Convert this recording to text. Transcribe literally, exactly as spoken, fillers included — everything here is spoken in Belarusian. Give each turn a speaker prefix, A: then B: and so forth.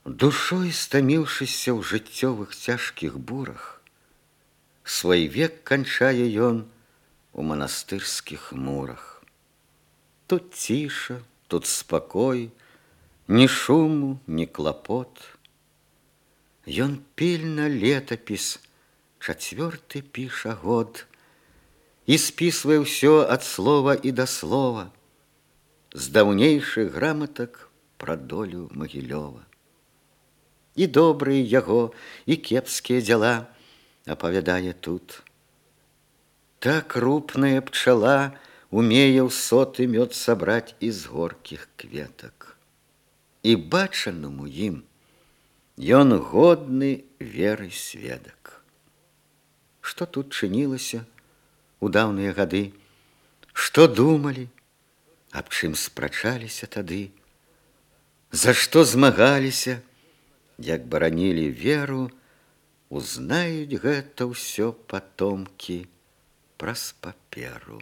A: Душой стаміўшыся ў жыццёвых цяжкіх бурах, свой век канчае ён у манастырскіх мурах. Тут ціша, тут спакой, ні шуму, ні клапот. Ён пільна летапіс чацвёрты піша год і спісвае ўсё ад слова і да слова з даўнейшых граматак пра долю Магілёва. І добрыя яго, і кепскія дзела апавядае тут. Так рупная пчала умее ў соты мёд сабраць з горкіх кветак. І бачанаму ім ён годны веры сведак. Што тут чынілася у даўныя гады, што думалі, аб чым спрачаліся тады, за што змагаліся, як баранілі веру, узнаюць гэта ўсё патомкі праз паперу.